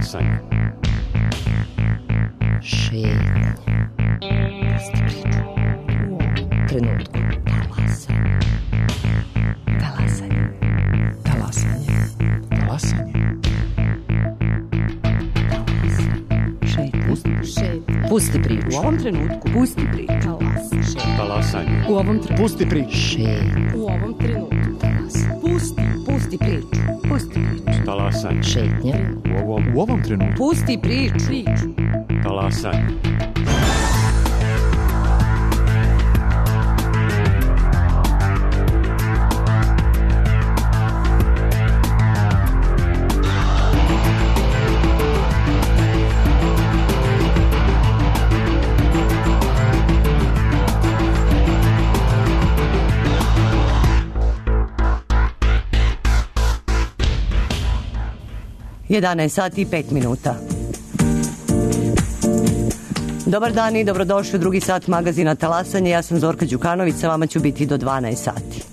Talasanje. Šetnje. Pusti priču. U ovom trenutku. Talasanje. Talasanje. Talasanje. Šetnje. Pusti priču. U ovom trenutku. Pusti priču. Talasanje. U ovom trenutku. Pusti priču. Šetnje. U ovom trenutku. Pusti priču. Pusti priču. Talasanje. Šetnje. U ovom trenutku. Pusti priču. Talasanje. Sat i 5 minuta. Dobar dan i dobrodošli u drugi sat magazina Talasanje. Ja sam Zorka Đukanović, sa vama ću biti do 12 sati.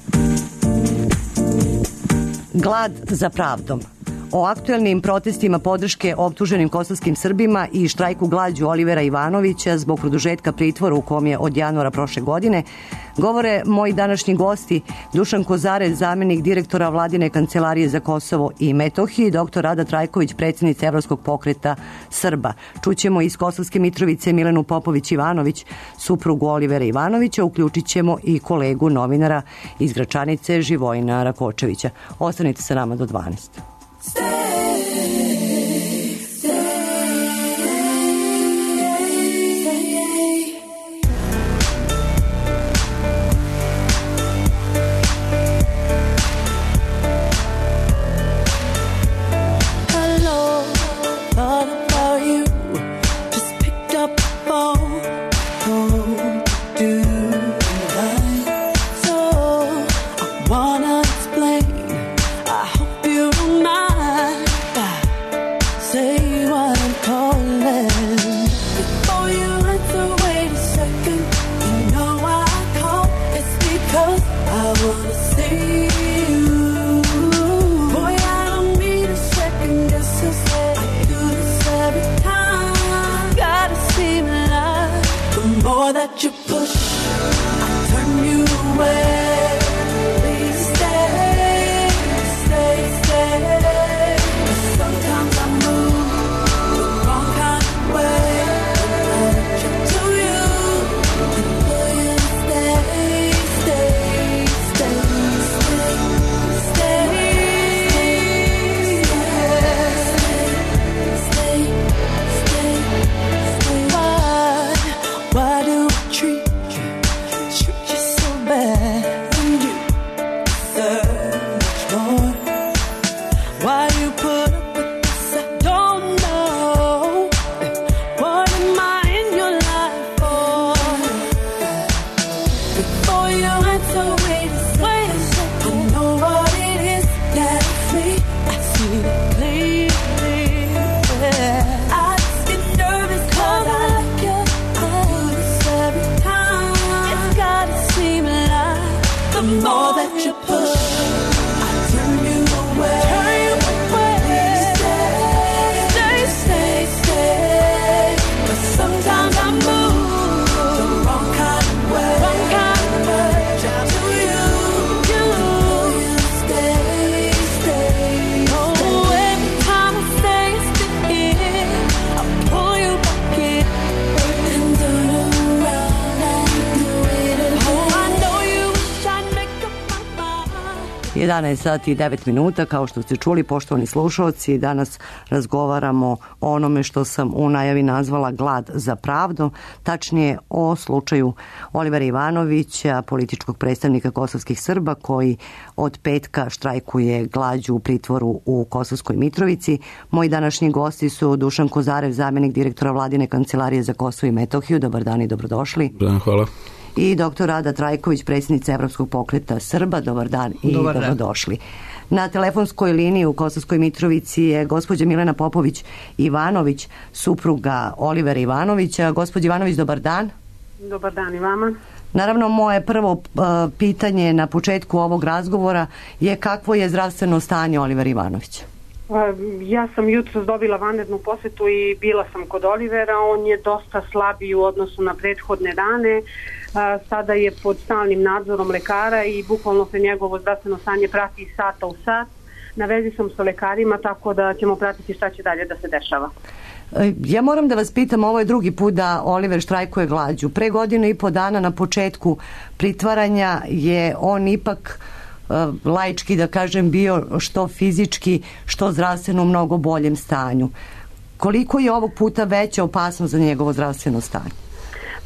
Glad za pravdom. O aktuelnim protestima podrške optuženim kosovskim Srbima i štrajku glađu Olivera Ivanovića zbog produžetka pritvora u kom je od januara prošle godine govore moji današnji gosti Dušan Kozarec, zamenik direktora Vladine kancelarije za Kosovo i Metohiju, i dr. Rada Trajković, predsjednica Evropskog pokreta Srba. Čućemo iz Kosovske Mitrovice Milenu Popović-Ivanović, suprugu Olivera Ivanovića, uključit ćemo i kolegu novinara iz Gračanice Živojina Rakočevića. Ostanite sa nama do 12. Sati i 9 minuta, kao što ste čuli, poštovani slušalci, danas razgovaramo o onome što sam u najavi nazvala glad za pravdom, tačnije o slučaju Olivera Ivanovića, političkog predstavnika kosovskih Srba, koji od petka štrajkuje glađu u pritvoru u Kosovskoj Mitrovici. Moji današnji gosti su Dušan Kozarec, zamenik direktora Vladine kancelarije za Kosovo i Metohiju. Dobar dan i dobrodošli. Hvala. I dr. Rada Trajković, predsjednica Evropskog pokreta Srba. Dobar dan i dobrodošli. Na telefonskoj liniji u Kosovskoj Mitrovici je gospođa Milena Popović-Ivanović, supruga Olivera Ivanovića. Gospođa Ivanović, dobar dan. Dobar dan i vama. Naravno, moje prvo pitanje na početku ovog razgovora je kakvo je zdravstveno stanje Olivera Ivanovića? Ja sam jutros dobila vanrednu posjetu i bila sam kod Olivera. On je dosta slabiji u odnosu na prethodne dane. Sada je pod stalnim nadzorom lekara i bukvalno se njegovo zdravstveno stanje prati iz sata u sat. Na vezi sam sa lekarima, tako da ćemo pratiti šta će dalje da se dešava. Ja moram da vas pitam, ovo je drugi put da Oliver štrajkuje glađu. Pre 1.5 dana na početku pritvaranja je on ipak laički, da kažem, bio što fizički, što zdravstveno u mnogo boljem stanju. Koliko je ovog puta veća opasnost za njegovo zdravstveno stanje?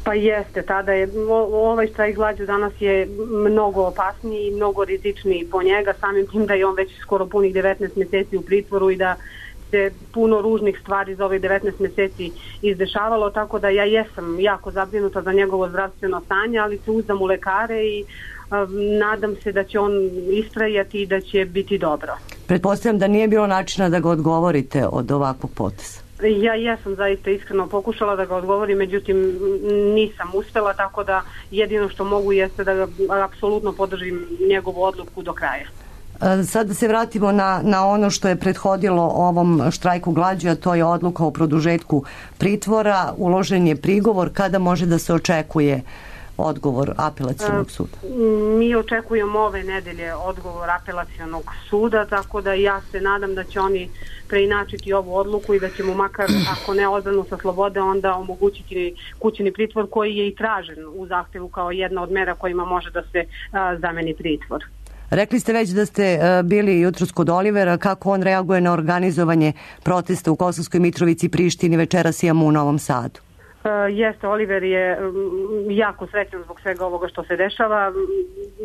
Pa jeste, tada je, ovaj štrajk glađu danas je mnogo opasniji i mnogo rizičniji po njega, samim tim da je on već skoro punih 19 mjeseci u pritvoru i da se puno ružnih stvari za ovih 19 mjeseci izdešavalo, tako da ja jesam jako zabrinuta za njegovo zdravstveno stanje, ali se uzdam u lekare i nadam se da će on istrajati i da će biti dobro. Pretpostavljam da nije bilo načina da ga odgovorite od ovakvog poteza. Ja sam zaista iskreno pokušala da ga odgovorim, međutim nisam uspela, tako da jedino što mogu jeste da ga apsolutno podržim njegovu odluku do kraja. Sad da se vratimo na ono što je prethodilo ovom štrajku glađu, a to je odluka o produžetku pritvora. Uložen je prigovor. Kada može da se očekuje odgovor apelacionog suda? Mi očekujemo ove nedelje odgovor apelacionog suda, tako da ja se nadam da će oni preinačiti ovu odluku i da će mu makar, ako ne odbranu sa slobode, onda omogućiti kućni pritvor koji je i tražen u zahtevu kao jedna od mera kojima može da se zameni pritvor. Rekli ste već da ste bili jutros kod Olivera. Kako on reaguje na organizovanje protesta u Kosovskoj Mitrovici, Prištini, večeras imamo u Novom Sadu? Jeste, Oliver je jako srećan zbog svega ovoga što se dešava.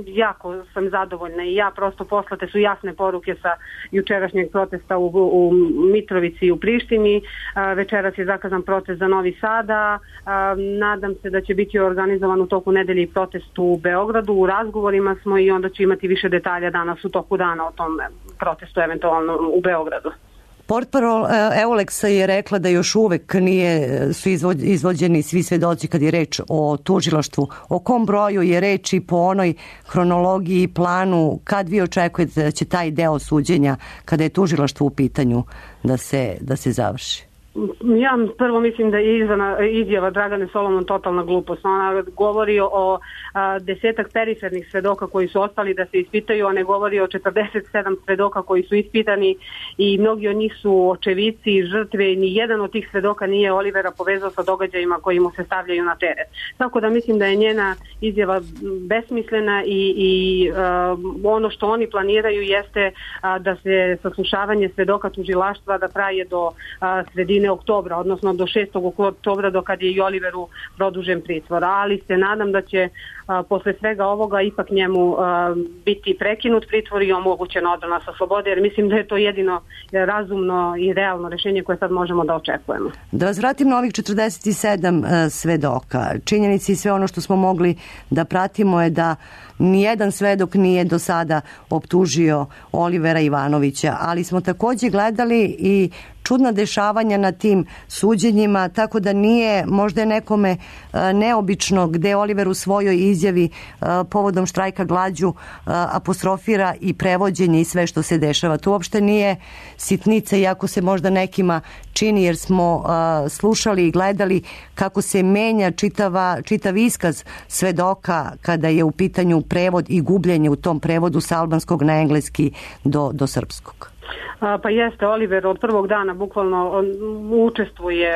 Jako sam zadovoljna i ja, prosto poslate su jasne poruke sa jučerašnjeg protesta u Mitrovici i u Prištini. Večeras je zakazan protest za Novi Sada. Nadam se da će biti organizovan u toku nedelje protest u Beogradu. U razgovorima smo i onda ću imati više detalja danas u toku dana o tom protestu eventualno u Beogradu. Portparol Euleksa je rekla da još uvek su izvođeni svi svedoci kad je reč o tužilaštvu. O kom broju je reč i po onoj hronologiji i planu, kad vi očekujete da će taj deo suđenja, kada je tužilaštvo u pitanju, da se završi? Ja prvo mislim da je izjava Dragane Solomon totalna glupost. Ona govori o 10 perifernih svedoka koji su ostali da se ispitaju, a ne govori o 47 svedoka koji su ispitani i mnogi od njih su očevici i žrtve i ni jedan od tih svedoka nije Olivera povezao sa događajima koji mu se stavljaju na teret. Tako da mislim da je njena izjava besmislena i ono što oni planiraju jeste da se saslušavanje svedoka tužilaštva da traje do sredine oktobra, odnosno do 6. oktobra do kad je i Oliveru produžen pritvor. Ali se nadam da će posle svega ovoga ipak njemu biti prekinut pritvor i omogućena odbrana sa slobode, jer mislim da je to jedino razumno i realno rešenje koje sad možemo da očekujemo. Da vas vratim na ovih 47 svedoka. Činjenici i sve ono što smo mogli da pratimo je da nijedan svedok nije do sada optužio Olivera Ivanovića, ali smo takođe gledali i čudna dešavanja na tim suđenjima, tako da nije možda nekome neobično gde Oliver u svojoj izjavi povodom štrajka glađu apostrofira i prevođenje i sve što se dešava. To uopšte nije sitnica, iako se možda nekima čini, jer smo slušali i gledali kako se menja čitav iskaz svedoka kada je u pitanju prevod i gubljenje u tom prevodu sa albanskog na engleski do srpskog. Pa jeste, Oliver od prvog dana bukvalno učestvuje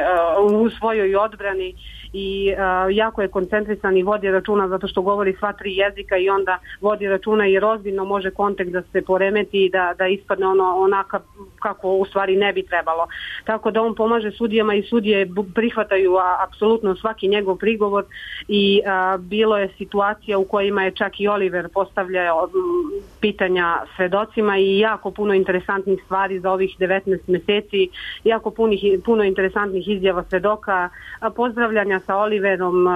u svojoj odbrani i jako je koncentrisan i vodi računa zato što govori sva 3 jezika i onda vodi računa jer ozbiljno može kontekst da se poremeti i da ispadne onaka kako u stvari ne bi trebalo. Tako da on pomaže sudijama i sudije prihvataju apsolutno svaki njegov prigovor i bilo je situacija u kojima je čak i Oliver postavljao pitanja svedocima i jako puno interesantnih stvari za ovih 19 meseci, jako puno interesantnih izjava svedoka, pozdravljanja sa Oliverom,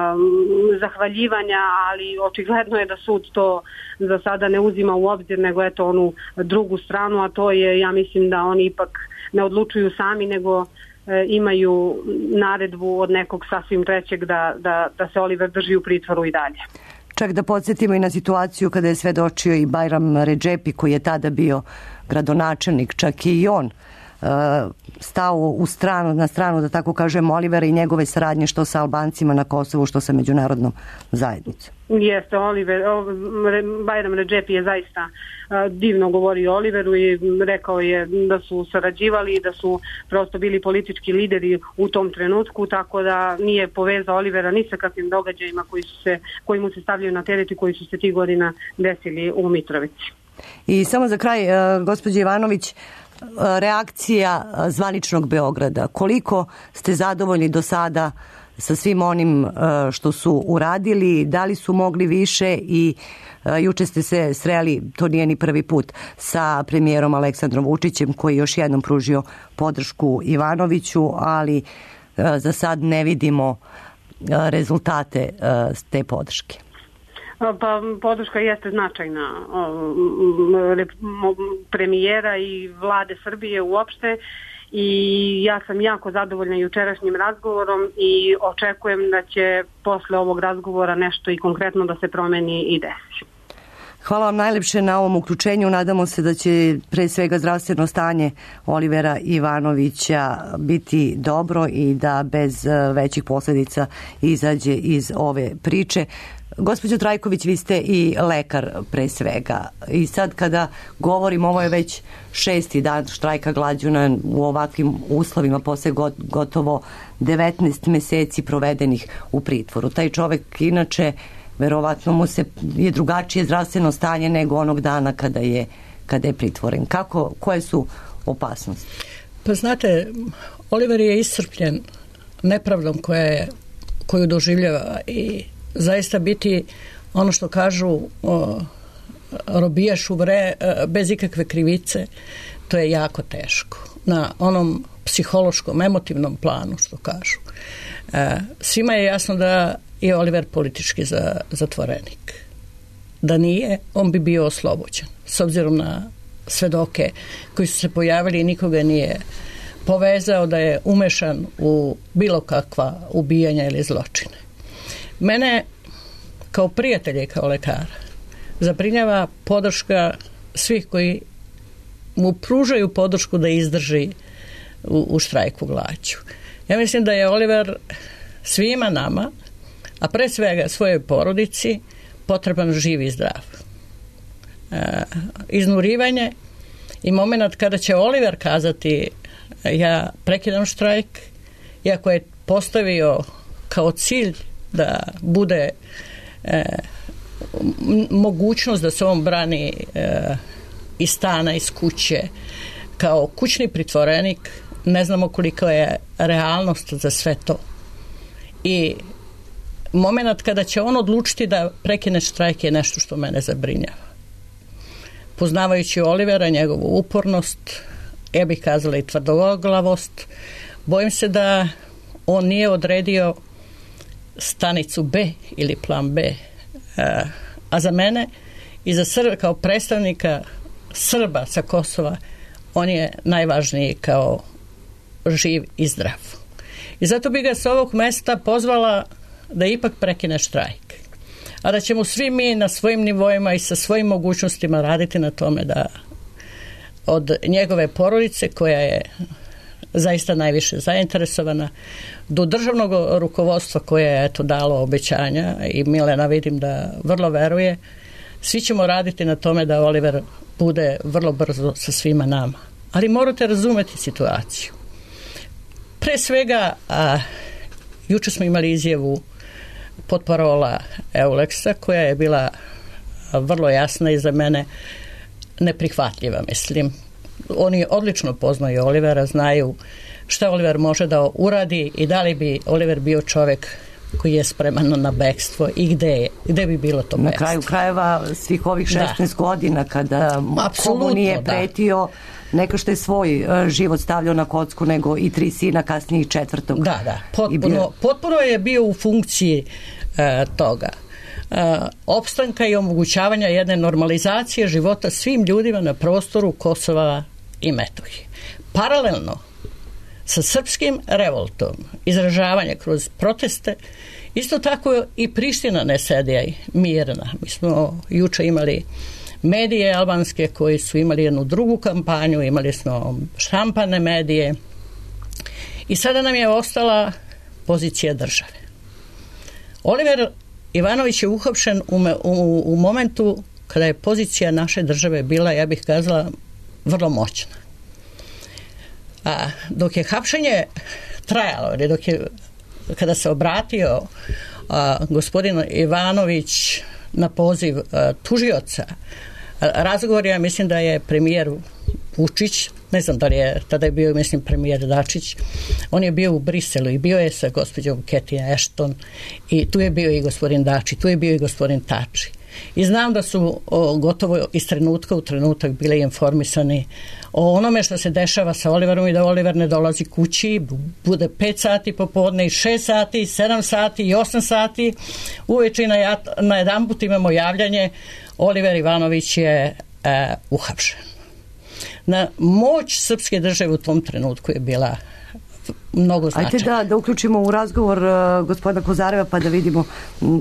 zahvaljivanja, ali očigledno je da sud to za sada ne uzima u obzir, nego eto onu drugu stranu, a to je, ja mislim da oni ipak ne odlučuju sami, nego imaju naredbu od nekog sasvim trećeg da se Oliver drži u pritvoru i dalje. Čak da podsjetimo i na situaciju kada je svedočio i Bajram Redžepi, koji je tada bio gradonačelnik, čak i on stao na stranu, da tako kažem, Olivera i njegove saradnje što sa Albancima na Kosovu, što sa međunarodnom zajednicom. Jeste, Bajram Redžepi je zaista divno govorio o Oliveru i rekao je da su sarađivali i da su prosto bili politički lideri u tom trenutku, tako da nije povezao Olivera ni sa kakvim događajima koji mu se stavljaju na teret i koji su se tih godina desili u Mitrovici. I samo za kraj, gospođa Ivanović, reakcija zvaničnog Beograda. Koliko ste zadovoljni do sada sa svim onim što su uradili, da li su mogli više i juče ste se sreli, to nije ni prvi put, sa premijerom Aleksandrom Vučićem koji je još jednom pružio podršku Ivanoviću, ali za sad ne vidimo rezultate te podrške. Pa podrška jeste značajna premijera i vlade Srbije uopšte i ja sam jako zadovoljna jučerašnjim razgovorom i očekujem da će posle ovog razgovora nešto i konkretno da se promeni i desi. Hvala vam najlepše na ovom uključenju. Nadamo se da će pre svega zdravstveno stanje Olivera Ivanovića biti dobro i da bez većih posljedica izađe iz ove priče. Gospođo Trajković, vi ste i lekar pre svega i sad kada govorim, ovo je već 6. dan štrajka glađu u ovakvim uslovima posle gotovo 19 meseci provedenih u pritvoru. Taj čovek inače verovatno mu je drugačije zdravstveno stanje nego onog dana kada je pritvoren. Koje su opasnosti? Pa znate, Oliver je iscrpljen nepravdom koju doživljava i zaista biti ono što kažu robijaš bez ikakve krivice, to je jako teško. Na onom psihološkom, emotivnom planu, što kažu. Svima je jasno da je Oliver politički zatvorenik. Da nije, on bi bio oslobođen. S obzirom na svedoke koji su se pojavili i nikoga nije povezao da je umešan u bilo kakva ubijanja ili zločine. Mene kao prijatelja i kao lekara zabrinjava podrška svih koji mu pružaju podršku da izdrži u štrajku glađu. Ja mislim da je Oliver svima nama, a pre svega svojoj porodici, potreban živ i zdrav. Iznurivanje i moment kada će Oliver kazati ja prekidam štrajk, iako je postavio kao cilj da bude mogućnost da se on brani iz stana, iz kuće, kao kućni pritvorenik, ne znamo koliko je realnost za sve to. I moment kada će on odlučiti da prekine štrajk je nešto što mene zabrinjava. Poznavajući Olivera, njegovu upornost, ja bih kazala i tvrdoglavost, bojim se da on nije odredio stanicu B ili plan B. A za mene i za kao predstavnika Srba sa Kosova, on je najvažniji kao živ i zdrav. I zato bi ga sa ovog mesta pozvala da ipak prekine štrajk. A da ćemo svi mi na svojim nivoima i sa svojim mogućnostima raditi na tome da od njegove porodice, koja je zaista najviše zainteresovana, do državnog rukovodstva koje je dalo obećanja i Milena vidim da vrlo veruje, svi ćemo raditi na tome da Oliver bude vrlo brzo sa svima nama. Ali morate razumeti situaciju. Pre svega, juče smo imali izjavu potparola Euleksa koja je bila vrlo jasna i za mene neprihvatljiva, mislim. Oni odlično poznaju Olivera, znaju šta Oliver može da uradi i da li bi Oliver bio čovjek koji je spreman na bekstvo i gde bi bilo to bekstvo. Na kraju krajeva svih ovih 16 godina kada komu nije pretio, neka što je svoj život stavljao na kocku, nego i 3 sina, kasnije i 4. Da, potpuno je bio u funkciji toga. Opstanka i omogućavanja jedne normalizacije života svim ljudima na prostoru Kosova i Metohije. Paralelno sa srpskim revoltom, izražavanje kroz proteste, isto tako i Priština ne sedi mirna. Mi smo juče imali medije albanske koji su imali jednu drugu kampanju, imali smo štampane medije i sada nam je ostala pozicija države. Oliver Ivanović je uhapšen u momentu kada je pozicija naše države bila, ja bih kazala, vrlo moćna. A dok je hapšenje trajalo, kada se obratio gospodin Ivanović na poziv tužioca, razgovor je, mislim da je premijer Vučić, ne znam da li je, tada je bio, mislim, premijer Dačić, on je bio u Briselu i bio je sa gospođom Cathy Ashton i tu je bio i gospodin Dačić, tu je bio i gospodin Tači. I znam da su gotovo iz trenutka u trenutak bili informisani o onome što se dešava sa Oliverom i da Oliver ne dolazi kući, bude 5 sati popodne i 6 sati, 7 sati i 8 sati. Uveče na jedan put imamo javljanje, Oliver Ivanović je uhapšen. Na moć srpske države u tom trenutku je bila mnogo značajna. Ajde da uključimo u razgovor gospodina Kozareva pa da vidimo,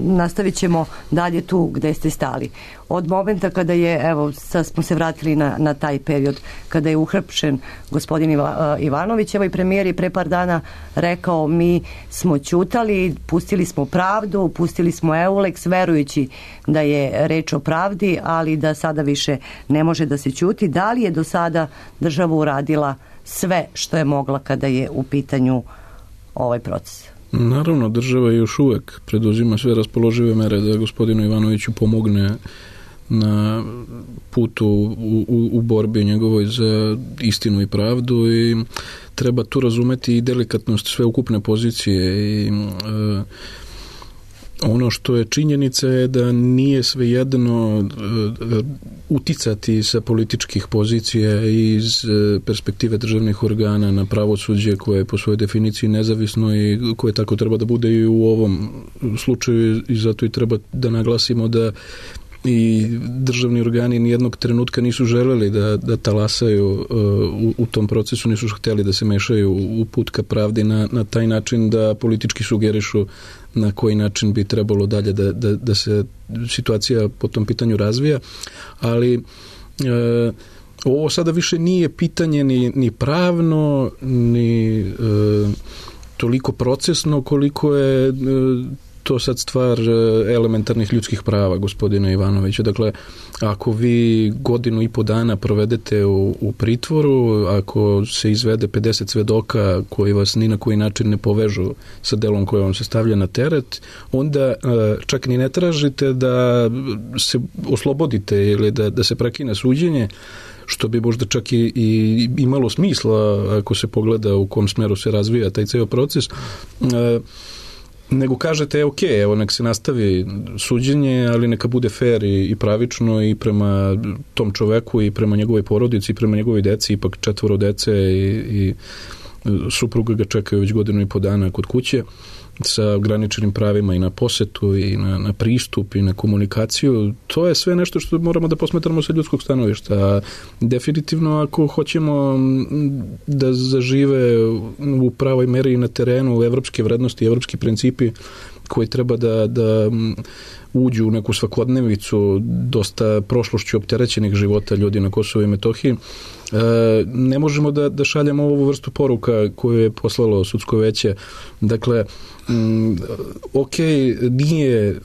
nastavit ćemo dalje tu gde ste stali. Od momenta kada je, evo sad smo se vratili na taj period, kada je uhapšen gospodin Ivanović, evo i premijer je pre par dana rekao mi smo ćutali, pustili smo pravdu, pustili smo Eulex, verujući da je reč o pravdi, ali da sada više ne može da se ćuti. Da li je do sada država uradila sve što je mogla kada je u pitanju ovaj proces? Naravno, država još uvek preduzima sve raspoložive mere da gospodinu Ivanoviću pomogne na putu u borbi njegovoj za istinu i pravdu i treba tu razumeti i delikatnost sveukupne pozicije i ono što je činjenica je da nije svejedno uticati sa političkih pozicija iz perspektive državnih organa na pravosuđe koje je po svojoj definiciji nezavisno i koje tako treba da bude i u ovom slučaju i zato i treba da naglasimo da i državni organi nijednog trenutka nisu želeli da talasaju u tom procesu, nisu htjeli da se mešaju u put ka pravdi na taj način da politički sugerišu na koji način bi trebalo dalje da se situacija po tom pitanju razvija, ali ovo sada više nije pitanje ni pravno, ni toliko procesno koliko je to sad stvar elementarnih ljudskih prava gospodina Ivanovića. Dakle, ako vi 1.5 godina provedete u pritvoru, ako se izvede 50 svedoka koji vas ni na koji način ne povežu sa delom koje vam se stavlja na teret, onda čak ni ne tražite da se oslobodite ili da se prekine suđenje, što bi možda čak i imalo smisla ako se pogleda u kom smeru se razvija taj ceo proces, nego kažete, ok, evo nek se nastavi suđenje, ali neka bude fair i pravično i prema tom čoveku i prema njegovoj porodici i prema njegovoj deci, ipak 4 dece i supruga ga čekaju već 1.5 dana kod kuće sa ograničenim pravima i na posetu i na pristup i na komunikaciju. To je sve nešto što moramo da posmetramo sa ljudskog stanovišta. Definitivno ako hoćemo da zažive u pravoj meri i na terenu evropske vrednosti, evropski principi koji treba da uđu u neku svakodnevicu dosta prošlošću opterećenih života ljudi na Kosovu i Metohiji, ne možemo da šaljemo ovu vrstu poruka koju je poslalo sudsko veće. Dakle, ok, nije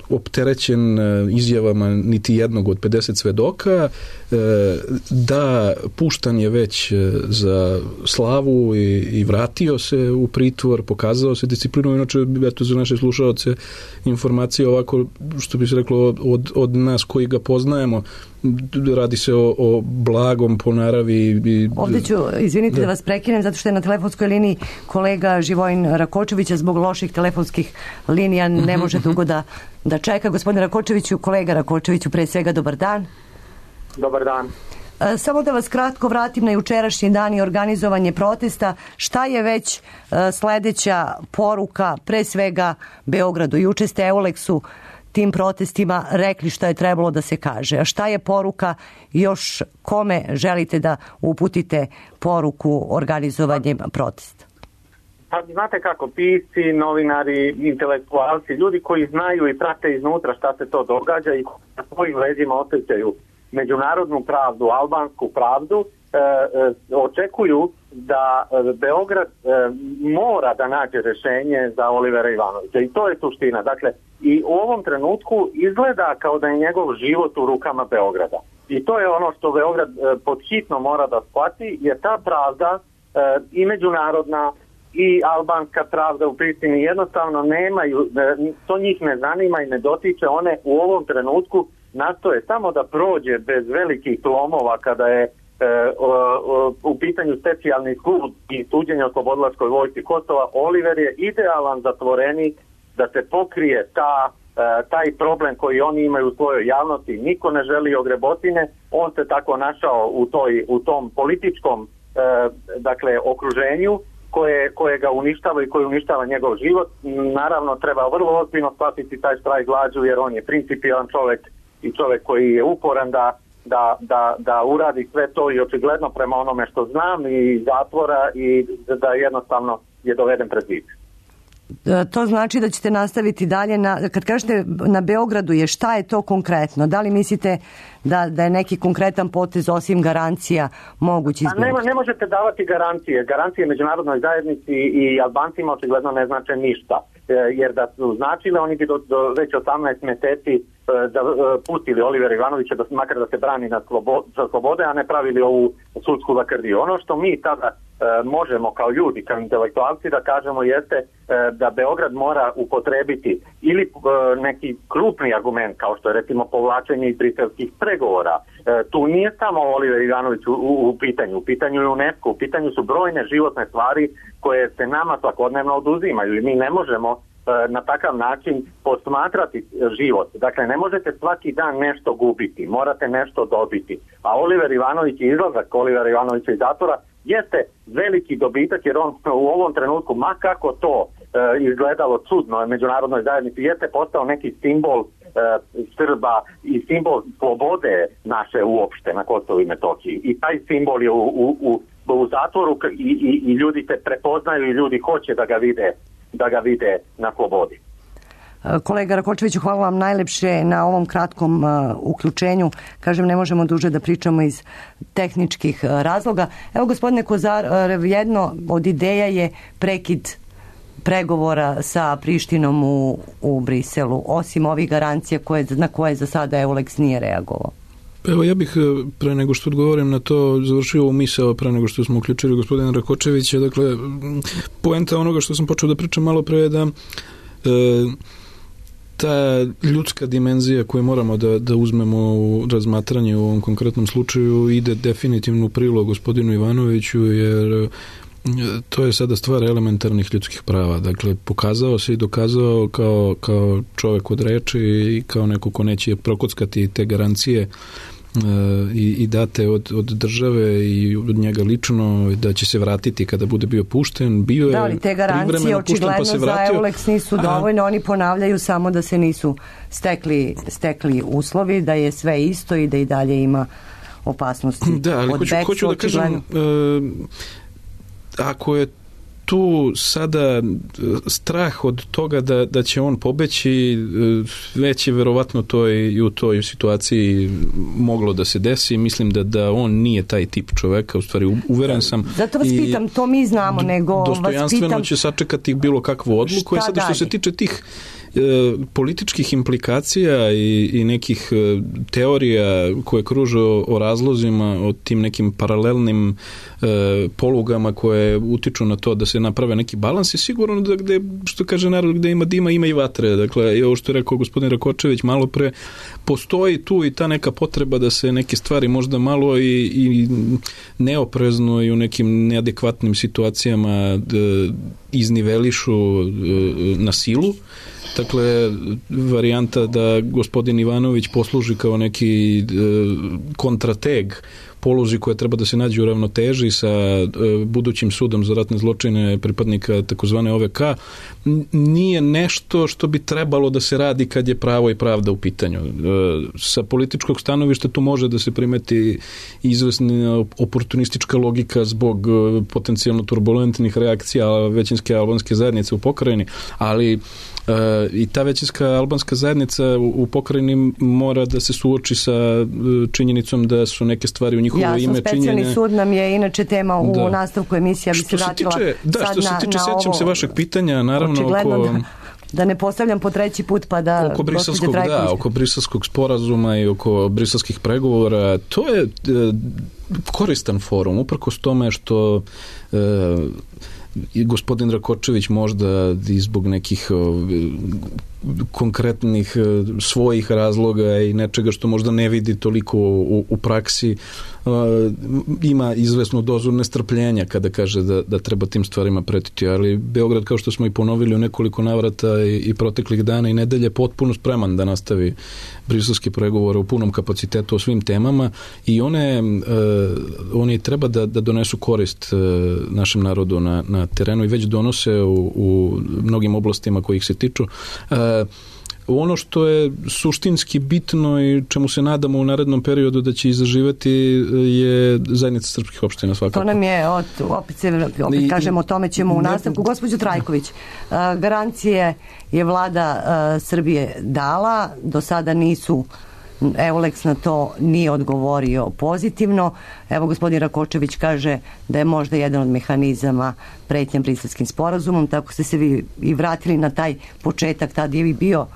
opterećen izjavama niti jednog od 50 svedoka, da puštan je već za slavu i vratio se u pritvor, pokazao se disciplinu, inače eto za naše slušaoce informacije ovako, što bi se reklo od nas koji ga poznajemo, radi se o blagom po naravi. Ovdje ću, izvinite da vas prekinem, zato što je na telefonskoj liniji kolega Živojin Rakočevića, zbog loših telefonskih linija ne može dugo da čeka. Gospodine Rakočeviću, kolega Rakočeviću, pre svega dobar dan. Dobar dan. Samo da vas kratko vratim na jučerašnji dan i organizovanje protesta. Šta je već sledeća poruka, pre svega Beogradu? Juče ste Eulexu tim protestima rekli šta je trebalo da se kaže. A šta je poruka, još kome želite da uputite poruku organizovanjem protesta? Pa znate kako, pisci, novinari, intelektualci, ljudi koji znaju i prate iznutra šta se to događa i na svojim leđima osjećaju međunarodnu pravdu, albansku pravdu, očekuju da Beograd mora da nađe rješenje za Olivera Ivanovića i to je suština. Dakle, i u ovom trenutku izgleda kao da je njegov život u rukama Beograda. I to je ono što Beograd podhitno mora da shvati, jer ta pravda i međunarodna i albanska pravda u Prištini jednostavno nemaju, to njih ne zanima i ne dotiče, one u ovom trenutku nastoje samo da prođe bez velikih lomova kada je u pitanju specijalni sud i suđenje oslobodilačkoj vojsci Kosova. Oliver je idealan zatvorenik da se pokrije taj problem koji oni imaju u svojoj javnosti. Niko ne želi ogrebotine, on se tako našao u tom političkom okruženju koje ga uništava i koje uništava njegov život. Naravno, treba vrlo ozbiljno shvatiti taj štrajk glađu, jer on je principijelan čovjek i čovjek koji je uporan da uradi sve to i očigledno prema onome što znam i zatvora i da jednostavno je doveden pred zid. To znači da ćete nastaviti dalje. Kad kažete na Beogradu je, šta je to konkretno? Da li mislite da je neki konkretan potez osim garancija mogući izbjeći? Ne možete davati garancije. Garancije međunarodnoj zajednici i Albancima očigledno ne znače ništa. Jer da su značile, oni bi već 18 mjeseci pustili Olivera Ivanovića makar da se brani za slobode, a ne pravili ovu sudsku lakrdiju. Ono što mi tada možemo kao ljudi, kao intelektualci da kažemo jeste da Beograd mora upotrebiti ili neki krupni argument, kao što je recimo povlačenje iz briselskih pregovora. Tu nije samo Oliver Ivanović u pitanju je UNESCO, u pitanju su brojne životne stvari koje se nama svakodnevno oduzimaju i mi ne možemo na takav način posmatrati život. Dakle, ne možete svaki dan nešto gubiti, morate nešto dobiti. A Oliver Ivanović i izlazak Olivera Ivanovića iz zatvora jeste veliki dobitak, jer on u ovom trenutku, ma kako to izgledalo čudno međunarodnoj zajednici, jeste postao neki simbol Srba i simbol slobode naše uopšte na Kosovu i Metohiji. I taj simbol je u zatvoru i ljudi te prepoznaju i ljudi hoće da ga vide na slobodi. Kolega Rakočeviću, hvala vam najlepše na ovom kratkom uključenju. Kažem, ne možemo duže da pričamo iz tehničkih razloga. Evo, gospodine Kozar, jedno od ideja je prekid pregovora sa Prištinom u Briselu, osim ovih garancija na koje za sada Eulex nije reagovao. Evo, ja bih pre nego što odgovorim na to završio ovu misao pre nego što smo uključili gospodina Rakočevića. Dakle, poenta onoga što sam počeo da pričam malo pre je da ta ljudska dimenzija koju moramo da uzmemo u razmatranje u ovom konkretnom slučaju ide definitivno u prilog gospodinu Ivanoviću, jer to je sada stvar elementarnih ljudskih prava. Dakle, pokazao se i dokazao kao čovjek od reči i kao neko ko neće prokockati te garancije i date od države i od njega lično, da će se vratiti kada bude bio pušten. Bio da, ali te garancije očigledno za Eulex nisu dovoljne, oni ponavljaju samo da se nisu stekli uslovi, da je sve isto i da i dalje ima opasnosti. Da, ali hoću da kažem, ako je tu sada strah od toga da će on pobeći, već je verovatno to i u toj situaciji moglo da se desi. Mislim da on nije taj tip čoveka, u stvari uveren sam. Zato vas pitam, to mi znamo, nego vas pitam... Dostojanstveno će sačekati bilo kakvu odluku. Sada što se tiče tih političkih implikacija i nekih teorija koje kruže o razlozima, o tim nekim paralelnim polugama koje utiču na to da se naprave neki balans, je sigurno da gde, što kaže narod, gde ima dima, ima i vatre. Dakle, i ovo što je rekao gospodin Rakočević malo pre, postoji tu i ta neka potreba da se neke stvari možda malo i neoprezno i u nekim neadekvatnim situacijama iznivelišu na silu. Dakle, varijanta da gospodin Ivanović posluži kao neki kontrateg poluzi koja treba da se nađe u ravnoteži sa budućim sudom za ratne zločine pripadnika takozvane OVK nije nešto što bi trebalo da se radi kad je pravo i pravda u pitanju. Sa političkog stanovišta tu može da se primeti izvesna oportunistička logika zbog potencijalno turbulentnih reakcija većinske albanske zajednice u pokrajini, ali i ta većinska albanska zajednica u pokrajini mora da se suoči sa činjenicom da su neke stvari u njihovo ime činjene. Specijalni sud nam je inače tema u nastavku emisija, bi se vratila sad što se tiče, sećam se vašeg pitanja, naravno da ne postavljam po treći put pa da oko briselskog sporazuma i oko briselskih pregovora, to je koristan forum, uprkos tome što i gospodin Rakočević možda i zbog nekih konkretnih svojih razloga i nečega što možda ne vidi toliko u praksi, ima izvesnu dozu nestrpljenja kada kaže da treba tim stvarima pretiti, ali Beograd, kao što smo i ponovili u nekoliko navrata i proteklih dana i nedelje, potpuno spreman da nastavi briselske pregovore u punom kapacitetu o svim temama i oni treba da donesu korist našem narodu na terenu i već donose u mnogim oblastima kojih se tiču. Ono što je suštinski bitno i čemu se nadamo u narednom periodu da će izaživati je zajednica srpskih opština svakako. To nam je, opet kažemo, o tome ćemo u nastavku. Gospođo Trajković, garancije je vlada Srbije dala, do sada nisu, Eulex na to nije odgovorio pozitivno. Evo, gospodin Rakočević kaže da je možda jedan od mehanizama pretnja briselskim sporazumom, tako ste se vi i vratili na taj početak, tad je bio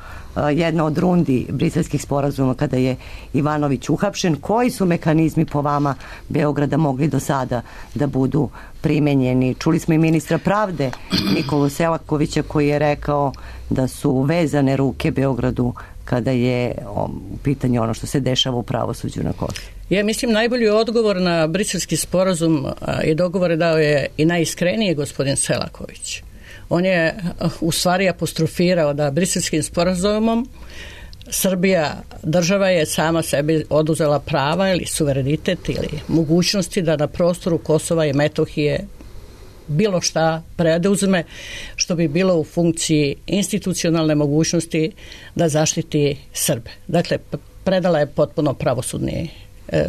jedna od rundi briselskih sporazuma kada je Ivanović uhapšen. Koji su mehanizmi po vama Beograda mogli do sada da budu primenjeni? Čuli smo i ministra pravde Nikolu Selakovića koji je rekao da su vezane ruke Beogradu kada je u pitanju ono što se dešava u pravosuđu na Kosovu. Ja mislim najbolji odgovor na briselski sporazum i dogovore dao je i najiskrenije gospodin Selaković. On je u stvari apostrofirao da briselskim sporazumom Srbija, država je sama sebi oduzela prava ili suverenitet ili mogućnosti da na prostoru Kosova i Metohije bilo šta preuzme što bi bilo u funkciji institucionalne mogućnosti da zaštiti Srbe. Dakle, predala je potpuno pravosudni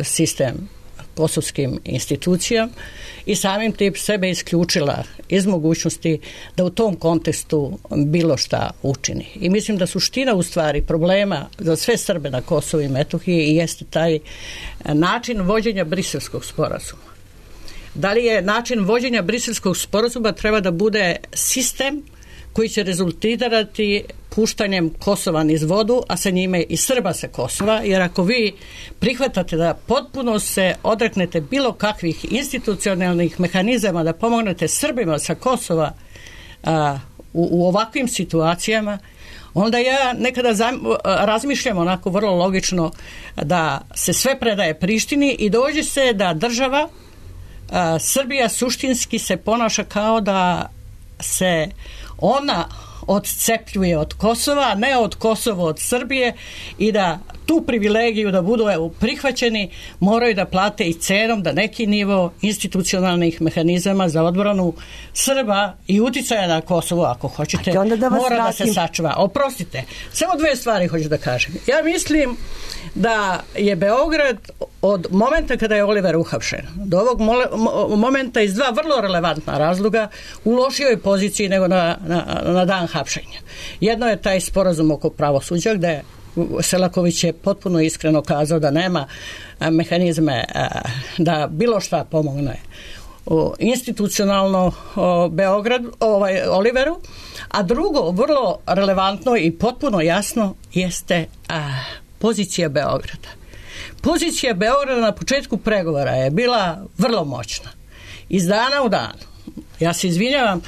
sistem kosovskim institucijama i samim tim sebe isključila iz mogućnosti da u tom kontekstu bilo šta učini. I mislim da suština u stvari problema za sve Srbe na Kosovu i Metohiji jeste taj način vođenja briselskog sporazuma. Da li je način vođenja briselskog sporazuma treba da bude sistem koji će rezultirati puštanjem Kosova niz vodu, a sa njime i Srba sa Kosova, jer ako vi prihvatate da potpuno se odreknete bilo kakvih institucionalnih mehanizama da pomognete Srbima sa Kosova u ovakvim situacijama, onda ja nekada razmišljam onako vrlo logično da se sve predaje Prištini i dođe se da država Srbija suštinski se ponaša kao da se ona odcepljuje od Kosova, a ne od Kosova od Srbije i da tu privilegiju da budu prihvaćeni moraju da plate i cenom da neki nivo institucionalnih mehanizama za odbranu Srba i uticaja na Kosovo, ako hoćete, mora da se sačuva. Oprostite, samo dve stvari hoću da kažem. Ja mislim da je Beograd od momenta kada je Oliver uhapšen do ovog momenta iz dva vrlo relevantna razloga u lošijoj poziciji nego na dan hapšenja. Jedno je taj sporazum oko pravosuđa gde Selaković je potpuno iskreno kazao da nema mehanizme da bilo šta pomogne institucionalno Oliveru, a drugo, vrlo relevantno i potpuno jasno jeste pozicija Beograda. Pozicija Beograda na početku pregovora je bila vrlo moćna. Iz dana u dan. Ja se izvinjavam,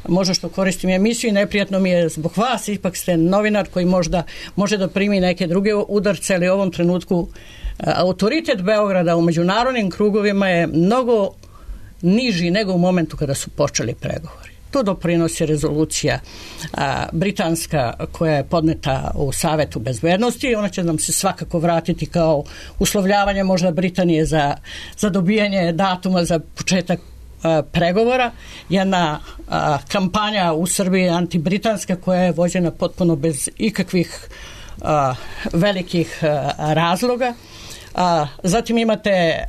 možda što koristim emisiju i neprijatno mi je zbog vas, ipak ste novinar koji možda može da primi neke druge udarce, ali u ovom trenutku autoritet Beograda u međunarodnim krugovima je mnogo niži nego u momentu kada su počeli pregovori. To doprinosi rezolucija britanska koja je podneta u Savetu bezbednosti. Ona će nam se svakako vratiti kao uslovljavanje možda Britanije za dobijanje datuma za početak pregovora. Jedna kampanja u Srbiji antibritanska koja je vođena potpuno bez ikakvih velikih razloga. Zatim imate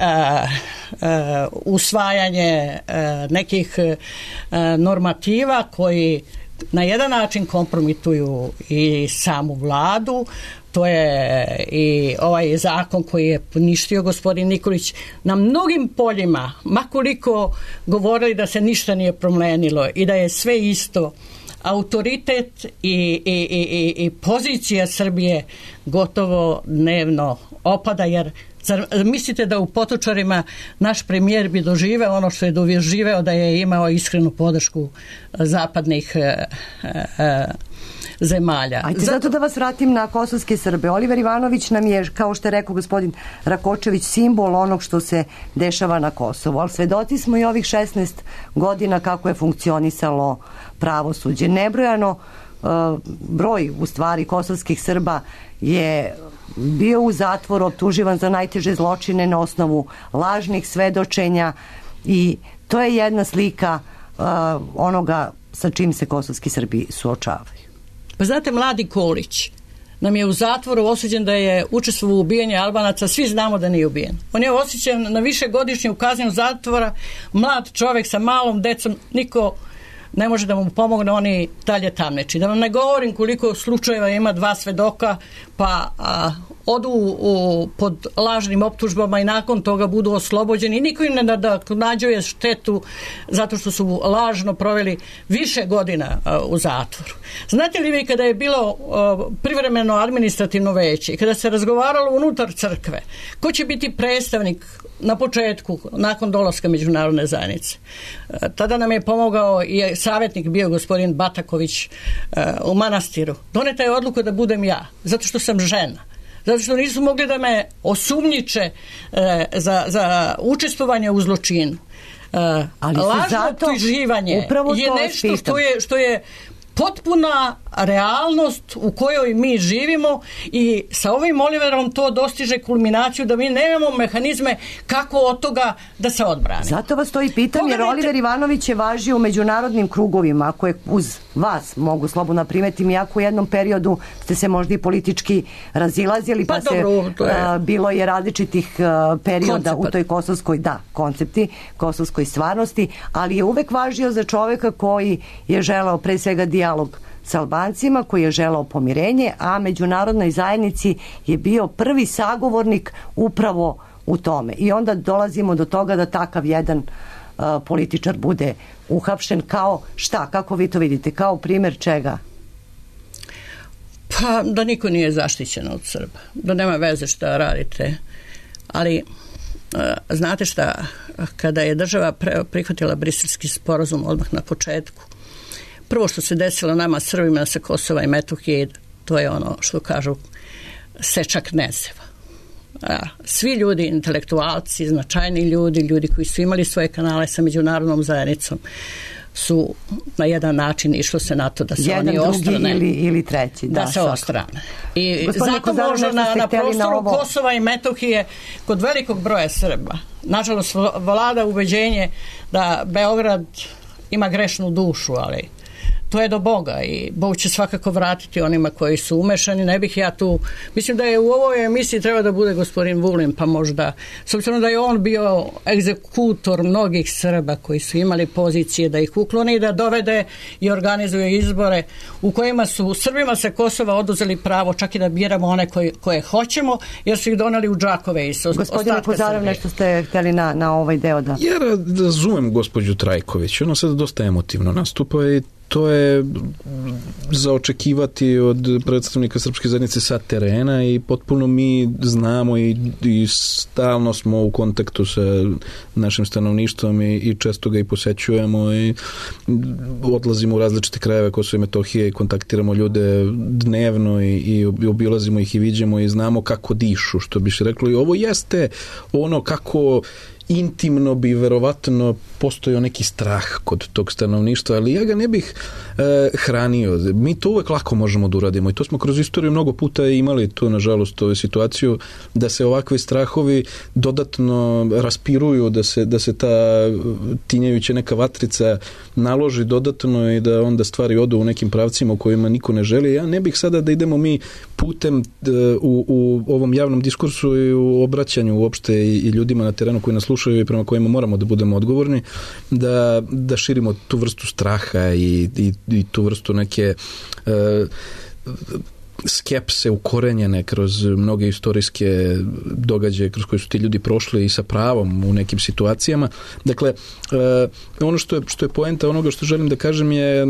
usvajanje nekih normativa koji na jedan način kompromituju i samu vladu. To je i ovaj zakon koji je poništio gospodin Nikolić na mnogim poljima, makoliko govorili da se ništa nije promenilo i da je sve isto. Autoritet i pozicija Srbije gotovo dnevno opada, jer mislite da u Potočarima naš premijer bi doživeo ono što je doživeo da je imao iskrenu podršku zapadnih zemalja. Ajde, zato da vas vratim na kosovske Srbe. Oliver Ivanović nam je, kao što je rekao gospodin Rakočević, simbol onog što se dešava na Kosovu, ali svedoci smo i ovih 16 godina kako je funkcionisalo pravosuđe. Nebrojano broj u stvari kosovskih Srba je bio u zatvoru, optuživan za najteže zločine na osnovu lažnih svedočenja i to je jedna slika onoga sa čim se kosovski Srbi suočavaju. Pa znate, mladi Kolić nam je u zatvoru osuđen da je učestvovao u ubijanju Albanaca, svi znamo da nije ubijen. On je osuđen na višegodišnju kaznu zatvora, mlad čovjek sa malom decom, niko ne može da mu pomogne, oni dalje tamneči. Da vam ne govorim koliko slučajeva ima 2 svedoka, pa odu pod lažnim optužbama i nakon toga budu oslobođeni. Niko im ne nadoknađuje štetu zato što su lažno proveli više godina u zatvoru. Znate li vi kada je bilo privremeno administrativno veće i kada se razgovaralo unutar crkve, ko će biti predstavnik na početku, nakon dolaska međunarodne zajednice? Tada nam je pomogao i savjetnik bio gospodin Bataković u manastiru. Doneta je odluka da budem ja, zato što sam žena. Zato što nisu mogli da me osumnjiče za učestvovanje u zločinu. Lažno optuživanje je nešto što je potpuna realnost u kojoj mi živimo i sa ovim Oliverom to dostiže kulminaciju da mi nemamo mehanizme kako od toga da se odbrane. Zato vas to i pitam, jer Oliver Ivanović je važio u međunarodnim krugovima, ako je uz vas, mogu slobodno primetim, iako u jednom periodu ste se možda i politički razilazili, pa bilo je različitih perioda u toj kosovskoj, koncepti, kosovskoj stvarnosti, ali je uvek važio za čoveka koji je želeo pre svega dijalog sa Albancima, koji je želeo pomirenje, a međunarodnoj zajednici je bio prvi sagovornik upravo u tome. I onda dolazimo do toga da takav jedan političar bude uhapšen kao šta? Kako vi to vidite? Kao primjer čega? Pa da niko nije zaštićen od Srba. Da nema veze šta radite. Ali znate šta? Kada je država prihvatila Briselski sporazum odmah na početku, prvo što se desilo nama Srbima sa Kosova i Metohije, to je ono što kažu seča knezeva. Svi ljudi, intelektualci, značajni ljudi koji su imali svoje kanale sa međunarodnom zajednicom, su na jedan način išlo se na to da se oni ostrane. Jedan, drugi ili treći. Da se ostrane. I zato možda na prostoru Kosova i Metohije kod velikog broja Srba, nažalost, vlada ubeđenje da Beograd ima grešnu dušu, ali to je do Boga i Bog će svakako vratiti onima koji su umešani. Ne bih ja tu, mislim da je u ovoj emisiji treba da bude gospodin Vulin, pa možda, s obzirom da je on bio egzekutor mnogih Srba koji su imali pozicije da ih ukloni i da dovede i organizuje izbore u kojima su Srbima sa Kosova oduzeli pravo čak i da biramo one koje hoćemo, jer su ih doneli u džakove iz ostatka Srbije. Gospodine Kozarev, nešto ste htjeli na ovaj deo da... Ja razumem gospođu Trajković, ona sad dosta emotivno nastupa i to je za očekivati od predstavnika srpske zajednice sa terena i potpuno mi znamo i stalno smo u kontaktu sa našim stanovništvom i često ga i posećujemo i odlazimo u različite krajeve Kosova i Metohije i kontaktiramo ljude dnevno i obilazimo ih i viđemo i znamo kako dišu, što bi se reklo. I ovo jeste ono kako intimno bi verovatno postojao neki strah kod tog stanovništva, ali ja ga ne bih hranio. Mi to uvek lako možemo da uradimo i to smo kroz istoriju mnogo puta imali tu, nažalost, ovu situaciju da se ovakvi strahovi dodatno raspiruju, da se ta tinjajuća neka vatrica naloži dodatno i da onda stvari odu u nekim pravcima u kojima niko ne želi. Ja ne bih sada da idemo mi putem u ovom javnom diskursu i u obraćanju uopšte i ljudima na terenu koji nas slušaju i prema kojima moramo da budemo odgovorni, da širimo tu vrstu straha i tu vrstu neke skepse ukorenjene kroz mnoge istorijske događaje kroz koje su ti ljudi prošli i sa pravom u nekim situacijama. Dakle, ono što je poenta onoga što želim da kažem je